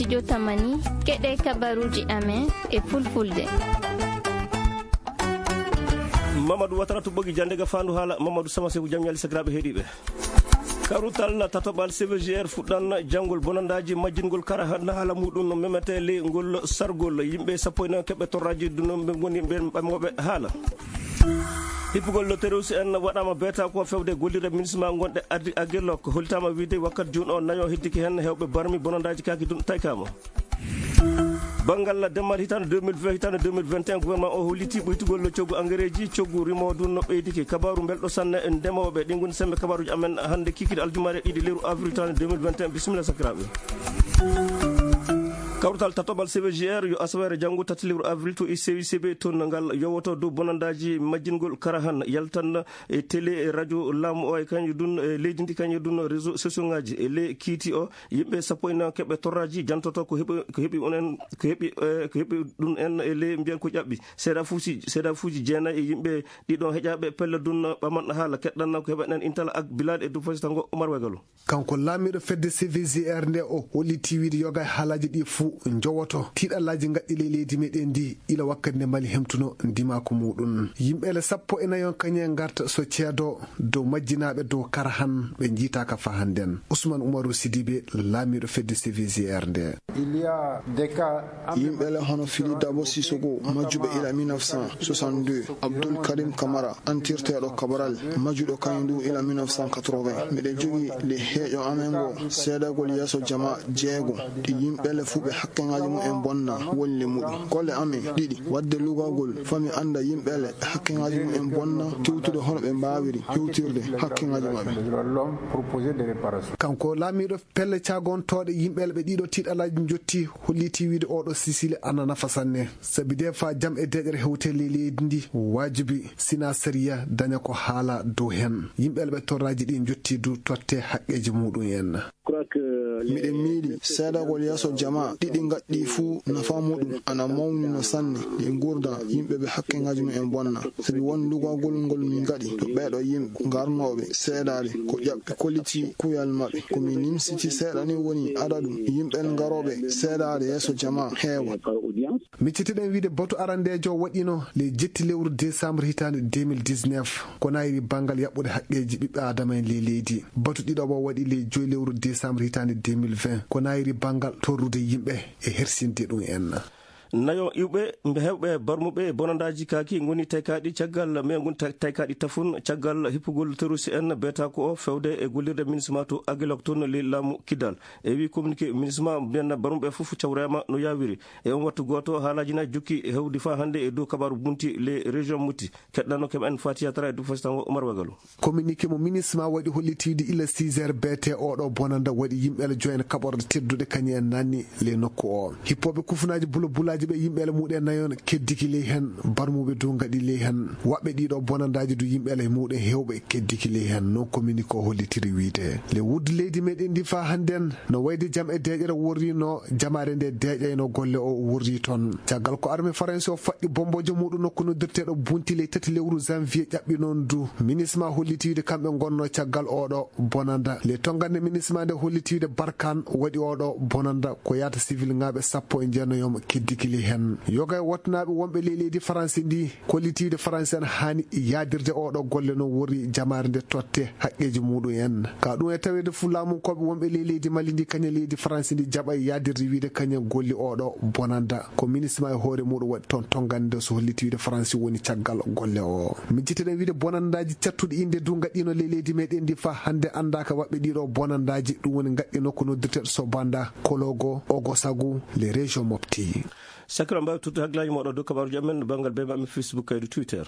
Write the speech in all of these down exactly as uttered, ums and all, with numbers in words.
Jotamani, keɗe kabaruuji amen e fulfulde. Mamadou Watara to ɓogi jannde ga faandu haala, Mamadou Sama Seku, jam ñaali sakiraaɓe heɗiiɓe. Karutal tatoɓal C V G R fuɗɗan janngol bonandaaji majjingol kara na haala muɗum no memete ley ngol sargol. Yimɓe sappo e nayo keɓe torraaji ɗum ɓe ngoni ɓen ɓamooɓe haala. Hippugol terroriste en waɗaama beeta ko fewde gollirde minisma gonɗe addi Aguelhok. Hollitaama wiide wakkati jooni o nayo heddike heen hewɓe barmi bonandaaji kaaki ɗum taykaama. Banngal demmal hitaande deux mille vingt, hitaande deux mille vingt et un, gouvernement o holliti ɓuytugol coggu engrais ji, coggu rimo ɗum no ɓeydike. Kabaaru belɗo sanne ndemooɓe, ɗi ngoni semmbe kabaaruuji amen hannde kikiiɗe aljumaare ɗiɗi lewru avril hitaande deux mille vingt et un. Bisimilla sakiraaɓe. Kawrital tatoɓal C V G R yo asaweere janngo tati lewru avril to I C I C B, toon ngal yowoto dow bonandaaji majjingol kara han yaltan e télé, e radio laamu o, e kañum ɗum, e leydi ndi, kañum ɗum réseau sociaux ngaji. E ley kiiti o, yimɓe sappo e nayo keɓe torraji jantoto ko heɓi, ko heɓi on en, ko heɓi, eh, ko heɓi ɗum en e ley mbiyan ko ƴaɓɓi. Seedafuuji, seedafuuji jeenayi e yimɓe ɗiɗo heƴaɓe pelle ɗum ɓaman haala keɗɗan ko heɓa en intala ak Bilal e Dufo Sitango Omar Wegalo. Kanko laamiiɗo fedde C V G R nde, o holliti wiide yoga e haalaaji ɗi fuu njowoto tiiɗallaaji ngaɗɗi ley leydi meɗen ndi ila wakkati nde Mali hemtuno ndimaaku muɗum. Yimɓe ele sappo e nayo kañe ngarta so ceedo dow majjinaaɓe dow kara han ɓe njiitaaka faa hannden. Ousmane Oumarou Sidibé, laamiiɗo fedde C V G R nde. Yimɓe ele hono Fili Dabo Sissoko, majjuɓe ila mille neuf cent soixante-deux, Abdoul Karim Kamara, antirteeɗo Cabral, majjuɗo kañum du ila mille neuf cent quatre-vingts. Miɗen jogii le heeƴo amen ngo, seedagol yeeso jama jeego, ɗi yimɓe ele fuu ɓe hakkeŋaaji mum en bonna, woni le muɗum. Golle amen ɗiɗi, waɗde lugagol, faa mi annda yimɓe ele ɓe hakkeŋaaji mum en bonna, tewtude hono ɓe mbaawiri hewtirde hakkeŋaaji maɓɓe. Kanko laamiiɗo pelle caagontooɗe yimɓe ele ɓe ɗiɗo tiiɗalaaji njotti, holliti wiide oɗo sisili ana nafa sanne. Sabi de faa jam e deeƴere hewte ley leydi ndi, waajibi sina sariya daña ko haala dow hen. Yimɓe ele ɓe torraaji ɗi njotti du totte haqqeeji muɗum en. Miɗen miili seedagol yeeso jama ɗiɗi ngaɗɗi fuu nafa muɗum ana mawni no sanne e nguurndam yimɓe ɓe hakkeŋaaji mum en bonna. Sabi won lugagol ngol min ngaɗi to ɓeeɗo yimɓe ngarnooɓe seedaade ko ƴaɓɓi kolliti kuyal maɓɓe. Ko mi nimsiti seeɗa ni woni adadu yimɓe ngarooɓe seedaade yeeso jama heewa. Miccitiɗen wiide batu arandeejo waɗino le jetti lewru décembre hitaande deux mille dix-neuf, ko nayri banngal yaɓɓude haqqeeji ɓiɓɓe aadama en ley leydi. Batu ɗiɗaɓo waɗi le joyi lewru décembre hitaande deux mille vingt, ko nayri banngal torrude yimɓe e hersinde ɗum en. Nayo iwɓe mbe hewɓe barmuɓe bonandaaji kaaki ngoni taykaaɗi caggal, mais ngoni ta-, taykaaɗi tafun caggal hippugol terroriste en beeta ko o fewde e gollirde minisma to Aguelhok toon ley laamu Kidal. E wi communiqué minisma mbiyanna barmuɓe fof cawreema no yaawiri. E on wattu gooto, haalaaji na jokki hewdi faa hannde e dow kabaaru bunti les régions muti. Keɗɗano keɓa en Fatiya Tara e Dufo Sitango Omar Wagalo. Communiqué mo minisma waɗi hollitiide ila six heures B T oɗo bonanda waɗi yimɓe ele joyen kaɓorde tedduɗe kañum en nanni ley nokku o. Hippooɓe kufunaaji bula bulaaji ɓe yimɓe ele muɗen nayon keddiki ley hen, barmuɓe dow ngaɗi ley hen. Waɓɓe ɗiɗo bonandaaji du yimɓe ele muɗen hewɓe keddiki ley hen, no communiqué o hollitiri wiide. Le wuddu leydi meɗen ndi faa hannden no wayde jam e deeƴere worrino jamaare nde deeƴayno golle o worri toon. Caggal ko armée Faransi o faɗɗi bomboojo muɗum nokku noddirteeɗo Bunti ley tati lewru janvier ƴaɓɓi noon du. Minisma hollitiide kamɓe ngonno caggal oɗo bonanda. Le tongande minisma nde hollitiide Barkan waɗi oɗo bonanda ko yaata civil ŋaaɓe sappo e jeenayomo keddikili hen. Yoga e wattunaaɓe wonɓe ley leydi Faransi ndi. Kollitiiɗo Faransi en haani yaadirde oɗo golle no worri jamaare nde totte haqqeeji muɗum en. Ka ɗum e taweede fu laamunkooɓe wonɓe ley leydi Mali ndi kañum leydi Faransi ndi jaɓay yaadirde wiide kañum golli oɗo bonanda. Ko minisma e hoore muɗum waɗi toon tongande so holliti wiide Faransi woni caggal golle o. Min citteɗen wiide bonandaaji cattuɗi innde du ngaɗɗino ley leydi meɗen ndi faa hannde anndaaka waɓɓe ɗiɗo bonandaaji ɗum woni ngaɗɗino ko noddirteeɗo Sobanda, Kologo, Ogosagu, les régions Mopti. Sakira mbawi tuttude hakkillaaji moɗon dow kabaruji amen banngal bema amen Facebook kaydu Twitter.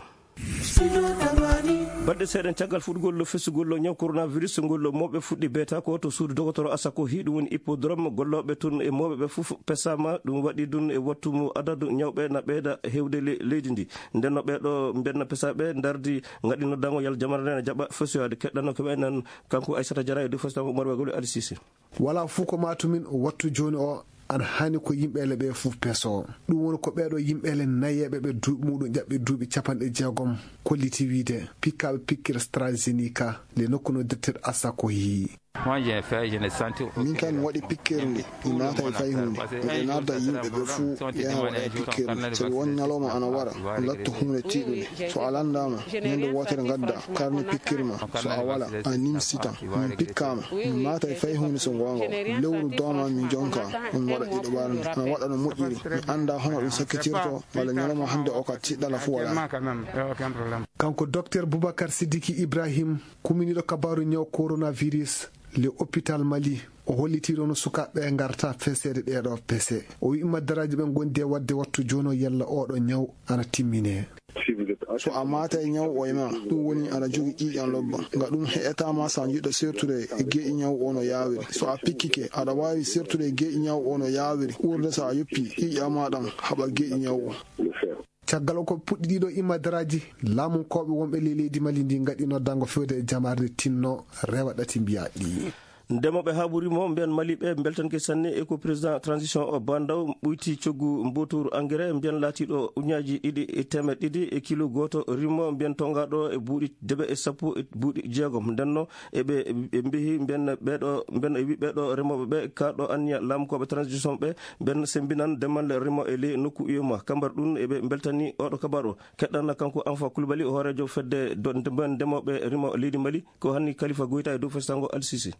Baɗɗe seeɗa caggal fuɗɗugol fesugol ñaw coronavirus ngol mawɓe fuɗɗi beeta ko to suudu dogotoro Asako hiɗum woni hippodrome gollooɓe toon e mawɓe ɓe fof pesama ɗum waɗi ɗum e wattu mo adadu ñawɓe na ɓeyda hewde le-, leydi ndi. Ndenno ɓeɗo mbenna pesaɓe ndardi ngaɗi noddango yalla jamara nde na jaɓa fesoyade keɗɗanno ko ɓe nan kanko Aissata Diarra e dow festam Oumar Wagolo Ali Cissé. Wala fuu ko maatumin wattu jooni o, ana haani ko yimɓe ele ɓe fuu peso. Ɗum woni ko ɓeeɗo yimɓe ele nayeeɓe ɓe duuɓi muɗum ƴaɓɓi duuɓi capanɗe jeegom kolliti wiide pikkaaɓe pikkere AstraZeneca le nokku no directeur Asako yii. Min kam mi waɗi pikkirde, mi maataay fay huunde. Miɗo naada yimɓe ɓe fuu yaha waɗa pikkirde. Sabi won ñalawma ana wara, latto huunde tiiɗunde. So a lanndaama, ñande wootere ngadda karne pikkir ma. So a wala, a nimsitan. Min pikkaama, mi maataay fay huunde so ngoonga. Lewru dooma mi jonka, on waɗa ɗiɗo ɓarnde. Ana waɗa no moƴƴiri. Mi anndaa hono ɗum sakkitirto, walla ñalawma hannde o ka tiɗɗala fuu walaa. Kanko Doktor Boubacar Sidiki Ibrahim, kuminiiɗo kabaaru ñaw coronavirus, le hôpital Mali, o hollitii ɗo no sukaaɓe ɓe ngarta feseede ɗeeɗo pese. O wi'i maddaraaji ɓe ngondi e waɗde wattu jooni o yalla ooɗo ñaw ana timmine. So a maata e ñaw o e ma, ɗum woni aɗa jogi ƴiiƴan lobba. Nga ɗum heƴataa ma so a jiɗɗo sertude e geeƴi ñaw o no yaawiri. So a pikkike, aɗa waawi sertude e geeƴi ñaw o no yaawiri. Ɓurde so a yoppi ƴiiƴan ma ɗan haɓa geeƴi ñaw o. Caggal ko puɗɗi ɗiɗo imadaraaji, laamunkooɓe wonɓe ley leydi Mali ndi ngaɗi noddaango fewde e jamaare nde tinno rewa ɗati mbiyaa ɗi. Ndemooɓe haaɓu rimo mbiyan Mali ɓe mbeltanke sanne e ko président transition o Bandaw ɓoyti coggu mbooturu engrais mbiyan laatiiɗo ujunnaaji ɗiɗi e teemeɗɗe ɗiɗi e kilo gooto rimo mbiyan tongaaɗo e buuɗi debe e sappo e buuɗi jeegom. Ndenno eɓe, ɓe mbihi mbiyan ɓeeɗo, mbiyan e wi ɓeeɗo remooɓe ɓe kaaɗo anniya laamukooɓe transition ɓe mbiyan sembinan demal rimo e ley nokku U E M O A. Kambar ɗum eɓe mbeltani oɗo kabar o. Keɗɗanna kanko Anfa Kulbali, hooreejo fedde do-, nde-, ndemooɓe rimo leydi Mali, ko hanni Kalifa Goyta e dow festango Alsisi.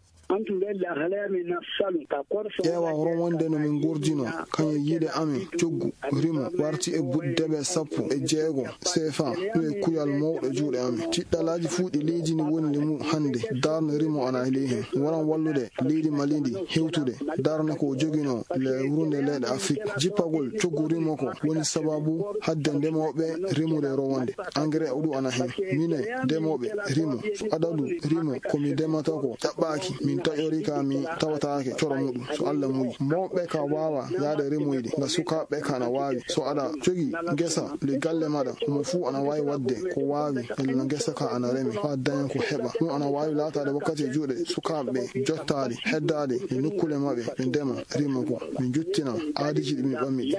Ƴeewa hono wonde no min ngurdino, kañum e yiide amen, coggu rimo warti e buuɗi debe sappo e jeego C F A, ɗum e kuyal mawɗo juuɗe amen. Tiɗɗalaaji fuu ɗi leydi ndi woni e mum hannde, darnde rimo ana e ley heen. Waran wallude leydi Mali ndi hewtude darnde ko joginoo le wurnde leyɗe Afrik. Jippagol coggu rimo ko woni sababu hadde ndemooɓe rimude rowonde. Engrais o ɗum ana heen. Minen ndemooɓe rimo, so adadu rimo ko mi ndemata ko ƴaɓɓaaki, min taƴori ka mi tawataake coro muɗum, so Alla muyi. Mawɓe ka waawa yaade rimoyde, nga sukaaɓe ka ana waawi. So aɗa jogi ngesa le galle maɗa, mo fuu ana waawi waɗde ko waawi, ella ngesa ka ana reme, faa daña ko heɓa. Ɗum ana waawi laataade wakkati e juuɗe sukaaɓe ɓe, jottaade, heddaade e nokkuule maɓɓe, ɓe ndema, rimo ko. Min njuttina aadiiji ɗi min ɓammi ɗi.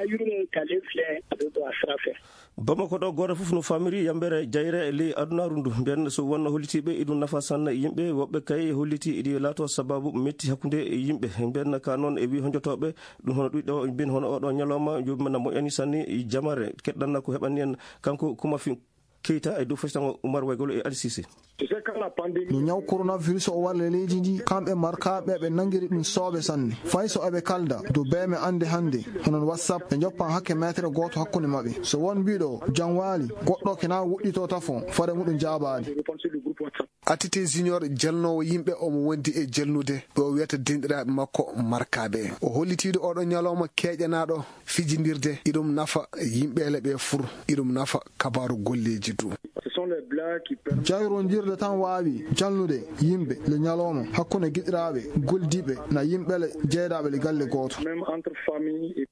Bamako ɗo, gooto fof no famiri yambere jayre e ley adunaaru ndu. Mbiyan so wonno hollitiiɓe iɗum nafa sanne yimɓe, woɓɓe kay holliti iɗi laato sababu metti hakkunde yimɓe. Mbiyan ka noon e wi honjotooɓe ɗum hono ɗuɗɗo, mbiyan hono oɗo ñalawma, joomum na moƴƴani sanne jamare. Keɗɗanna ko heɓani en kanko Kuma Fi-, Keita e dow festango Umar Waygolo e Ali Sise. No ñaw coronavirus o walla leydi ndi, kamɓe markaaɓe ɓe nangiri ɗum sooɓe sanne. Fay so eɓe kalda dow beeme annde hannde, hono WhatsApp, ɓe njoppan hakke meetere gooto hakkunde maɓɓe. So won mbiɗo janwaali, goɗɗo kena woɗɗito tafo, fare muɗum jaabaali. Atite Junior, jalnoowo yimɓe, omo wondi e jalnude ɓe o wiyata denɗiraaɓe makko markaaɓe. O hollitiiɗo oɗo ñalawma keeƴanaaɗo fijindirde, iɗum nafa yimɓeele ɓe fur, iɗum nafa kabaaru golleeji du. Jayrondirde tan waawi jalnude yimɓe le ñalawma hakkunde giɗiraaɓe goldiiɓe na yimɓeele jeydaaɓe le galle gooto.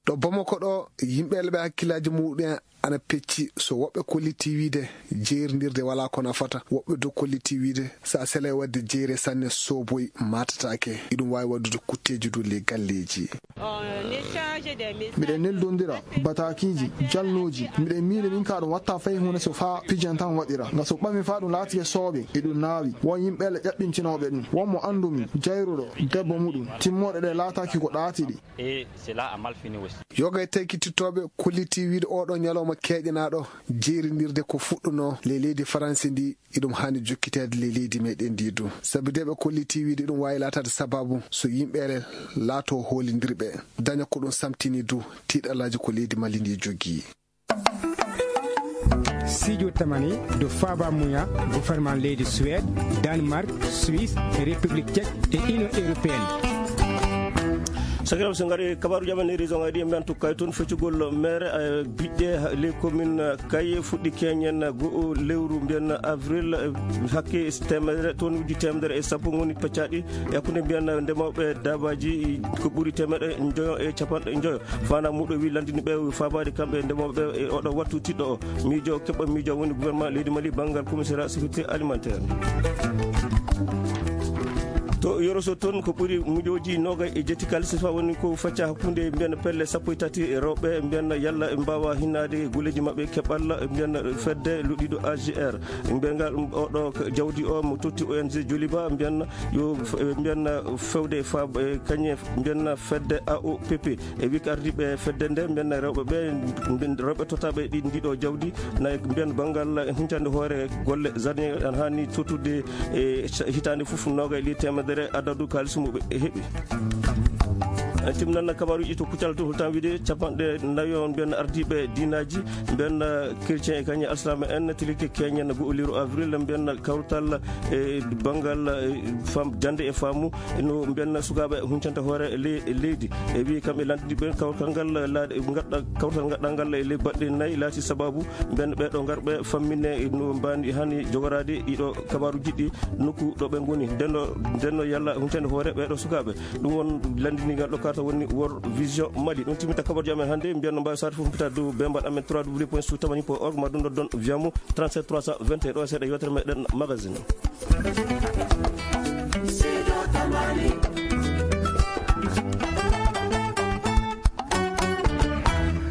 Ɗo Bamako ɗo, yimɓeele ɓe hakkillaaji muɗum en ana pecci, so woɓɓe kolliti wiide jeyrindirde wala ko nafata, woɓɓe do kolliti wiide so a selay wadde jeyre sanne soboy matataake. Iɗum waawi waddude kutteeji du le galleeji. Miɗen neldondira batakiiji, jalnooji. Miɗen miili min ka ɗum watta fay huunde so faa pijan tan waɗira. Nga so ɓami faa ɗum laatike sooɓe, e ɗum naawi. Won yimɓe le ƴaɓɓintinooɓe ɗum. Won mo anndumi, jayruɗo, debbo muɗum. Timmooɗe ɗe laataaki ko ɗaatiɗi. Yoga e taykitittooɓe kolliti wiide oɗo ñalawma keeƴanaaɗo jeyrindirde ko fuɗɗunoo le leydi Faransi ndi, iɗum haani jokkiteede le leydi meɗen ndi du. Sabi de ɓe kolliti wiide ɗum waawi laataade sababu so yimɓeere laato hoolindirɓe. Daña ko ɗum samtini du, tiiɗalaaji ko leydi Mali ndi jogii. Sijo tamani do faaba muya gouvernement leydi Suède, Danemark, Suisse, République Tchèque e Union Européenne. Sakiraɓe, so ngari kabaru jaman e région ngaji ɗi, en mbiyan tukkay toon feccugol mere, eh, biɗɗe ha-, les communes, eh, Kaye fuɗɗi keñen, eh, go'o lewru mbiyan avril, eh, hakke temedere, tonnes uji temedere e sappo ngoni peccaɗi e hakkunde mbiyan ndemoɓe dabaji ko ɓuri temeɗe njoyo e capanɗe njoyo. Fana muɗo wi landini ɓe fabade kamɓe ndemoɓe e oɗo wattu tiɗɗo o. Miijo keɓɓo miijo woni gouvernement leydi Mali banngal commissariat sécurité alimentaire. To Yoroso toon, ko ɓuri miljooji noogay e jetti kaalis fa woni ko facca hakkunde mbiyen pelle sappo e tati rewɓe, mbiyen yalla ɓe mbaawa hinnaade e golleeji maɓɓe keɓal, mbiyen fedde luɗɗiiɗo A G R. Mbiyen ngal, oɗo jawdi o mo totti O N G Joliba, mbiyen yo f-, mbiyen fewde fa, e kañe mbiyen fedde A O P P. E wiik ardiiɓe fedde nde, mbiyen rewɓe ɓe, mbiyen rewɓe tottaaɓe ɗi, ndiɗo jawdi, na mbiyen banngal huncande hoore golle jardin, ana haani tottude e ca-, hitaande fof noogay li teemedere adadu kaalis mo ɓe heɓi. En timnan kabaruuji to Kuccal to, holtan wiide capanɗe nayo mbiyen ardiiɓe diinaaji, mbiyen chrétien e kañum alsilaama en, tilike keñen goo liiru avril, mbiyen kawtal e banngal, e fam-, jannde e faamu, no mbiyen sukaaɓe huncanta hoore le-, leydi. E wi kamɓe lantidiiɓe kawtal ngal laaɗe, ngaɗɗa-, kawtal ngaɗɗangal e ley baɗɗe nayi laati sababu mbiyen ɓeeɗo ngarɓe fammine no mbani hani jogoraade ɗiɗo kabaaruuji ɗi nokku ɗo ɓe ngoni. Ndenno, ndenno yalla huncande hoore ɓeeɗo sukaaɓe. Ɗum won lanndiniigal ɗo karta woni World Vision Mali. Ɗum timmita kabaruuji amen hannde. Mbiyen no mbaawi sawde fof mbita dow bembal amen trois W point sud tamani point org, ma ɗum ɗo don Viamo trente-sept trois cent vingt et un. Ɗo seeɗa yewtere meɗen magazine.